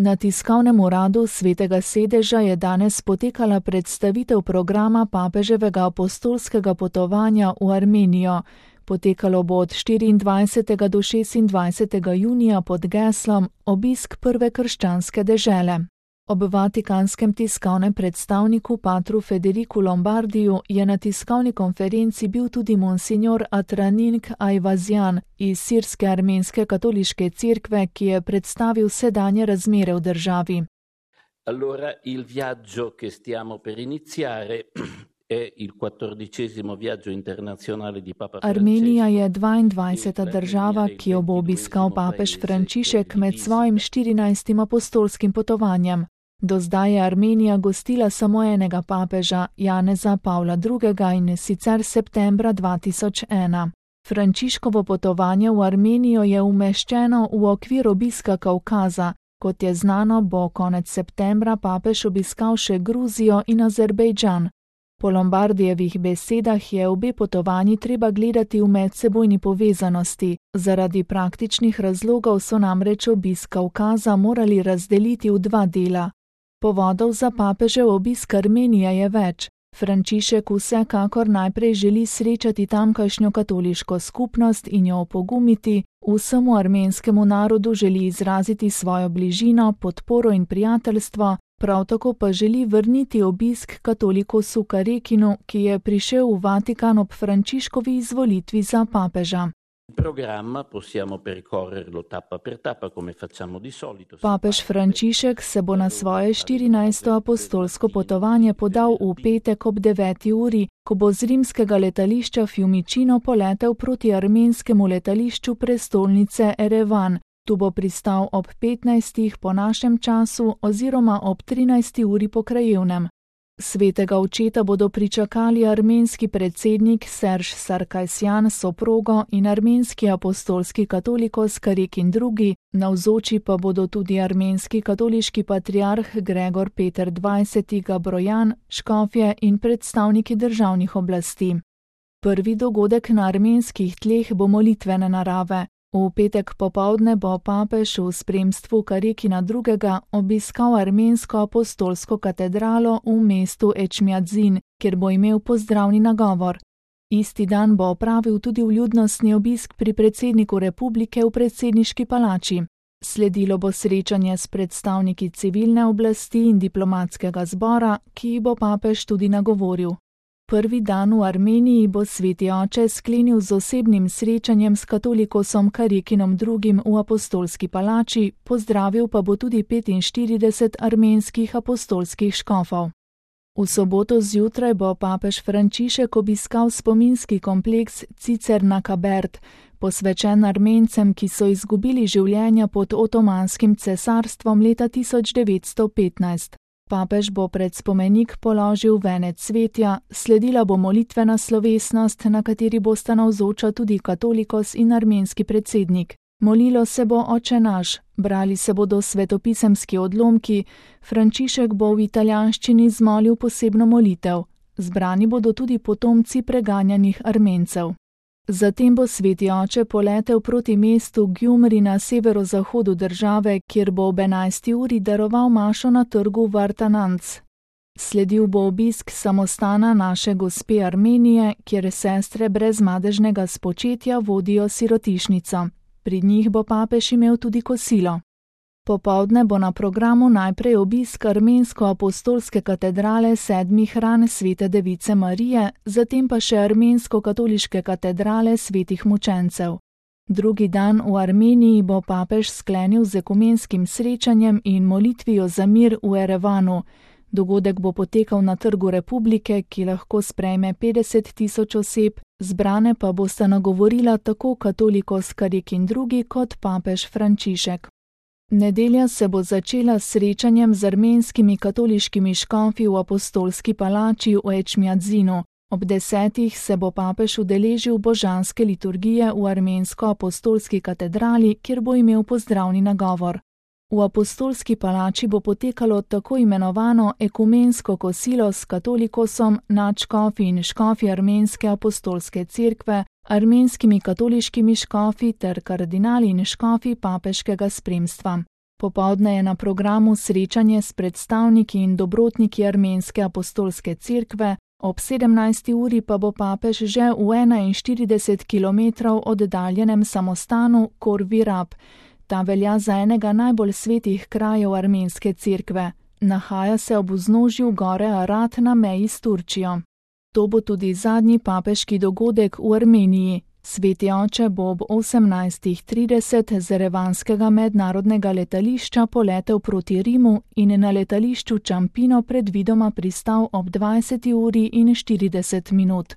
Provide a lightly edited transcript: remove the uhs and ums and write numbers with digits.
Na tiskovnem uradu Svetega sedeža je danes potekala predstavitev programa papeževega apostolskega potovanja v Armenijo. Potekalo bo od 24. do 26. junija pod geslom Obisk prve krščanske dežele. Ob vatikanskem tiskovnem predstavniku patru Federiku Lombardiju je na tiskovni konferenci bil tudi monsignor Atraning Ajvazjan iz sirske armenske katoliške cerkve, ki je predstavil sedanje razmere v državi. Allora, il viaggio che stiamo per iniziare è il 14° viaggio internazionale di Papa Francesco. Armenija je 22. država, ki jo bo obiskal papež Frančišek med svojim 14. apostolskim potovanjem. Do zdaj je Armenija gostila samo enega papeža, Janeza Pavla II. In sicer septembra 2001. Frančiškovo potovanje v Armenijo je umeščeno v okvir obiska Kavkaza. Kot je znano, bo konec septembra papež obiskal še Gruzijo in Azerbejdžan. Po Lombardijevih besedah je obe potovanji treba gledati v medsebojni povezanosti. Zaradi praktičnih razlogov so namreč obisk Kavkaza morali razdeliti v dva dela. Povodov za papežev obisk Armenije je več. Frančišek vsekakor najprej želi srečati tamkajšnjo katoliško skupnost in jo opogumiti, vsemu armenskemu narodu želi izraziti svojo bližino, podporo in prijateljstvo, prav tako pa želi vrniti obisk katolikosu Karekinu, ki je prišel v Vatikan ob Frančiškovi izvolitvi za papeža. Papež Frančišek se bo na svoje 14. apostolsko potovanje podal v petek ob 9. uri, ko bo z rimskega letališča Fiumicino poletel proti armenskemu letališču prestolnice Erevan. Tu bo pristal ob 15. po našem času oziroma ob 13. uri po krajevnem. Svetega očeta bodo pričakali armenski predsednik Serž Sarkisjan s soprogo in armenski apostolski katolikos Karekin II., navzoči pa bodo tudi armenski katoliški patriarh Gregor Peter XX. Gabrojan, škofje in predstavniki državnih oblasti. Prvi dogodek na armenskih tleh bo molitvene narave. V petek popoldne bo papež v spremstvu Karekina II. Obiskal armensko apostolsko katedralo v mestu Ečmiadzin, kjer bo imel pozdravni nagovor. Isti dan bo opravil tudi vljudnostni obisk pri predsedniku republike v predsedniški palači. Sledilo bo srečanje s predstavniki civilne oblasti in diplomatskega zbora, ki bo papež tudi nagovoril. Prvi dan v Armeniji bo sveti oče sklenil z osebnim srečanjem s katolikosom Karekinom II. V apostolski palači, pozdravil pa bo tudi 45 armenskih apostolskih škofov. V soboto zjutraj bo papež Frančišek obiskal spominski kompleks Cicerna Kabert, posvečen Armencem, ki so izgubili življenja pod Otomanskim cesarstvom leta 1915. Papež bo pred spomenik položil venec cvetja, sledila bo molitvena slovesnost, na kateri bosta navzoča tudi katolikos in armenski predsednik. Molilo se bo Oče naš, brali se bodo svetopisemski odlomki, Frančišek bo v italijanščini zmolil posebno molitev. Zbrani bodo tudi potomci preganjanih Armencev. Zatem bo sveti oče poletel proti mestu Gjumri na severozahodu države, kjer bo ob 11. uri daroval mašo na trgu Vartananc. Sledil bo obisk samostana Naše gospe Armenije, kjer sestre brez madežnega spočetja vodijo sirotišnico. Pri njih bo papež imel tudi kosilo. Popoldne bo na programu najprej obisk armensko-apostolske katedrale 7 ran svete device Marije, zatem pa še armensko-katoliške katedrale svetih mučencev. Drugi dan v Armeniji bo papež sklenil z ekumenskim srečanjem in molitvijo za mir v Erevanu. Dogodek bo potekal na Trgu Republike, ki lahko sprejme 50 000 oseb, zbrane pa bosta nagovorila tako katolikos Karekin II. Kot papež Frančišek. Nedelja se bo začela s srečanjem z armenskimi katoliškimi škofi v apostolski palači v Ečmiadzinu. Ob 10. se bo papež udeležil božanske liturgije v armensko-apostolski katedrali, kjer bo imel pozdravni nagovor. V apostolski palači bo potekalo tako imenovano ekumensko kosilo s katolikosom, nadškofi in škofi armenske apostolske cerkve, armenskimi katoliškimi škofi ter kardinali in škofi papeškega spremstva. Popoldne je na programu srečanje s predstavniki in dobrotniki Armenske apostolske cerkve, ob 17. uri pa bo papež že v 41 kilometrov oddaljenem samostanu Khor Virab. Ta velja za enega najbolj svetih krajev armenske cerkve. Nahaja se ob vznožju gore Arat na meji s Turčijo. To bo tudi zadnji papeški dogodek v Armeniji. Sveti oče bo ob 18:30 z erevanskega mednarodnega letališča poletel proti Rimu in na letališču Ciampino predvidoma pristal ob 20:40.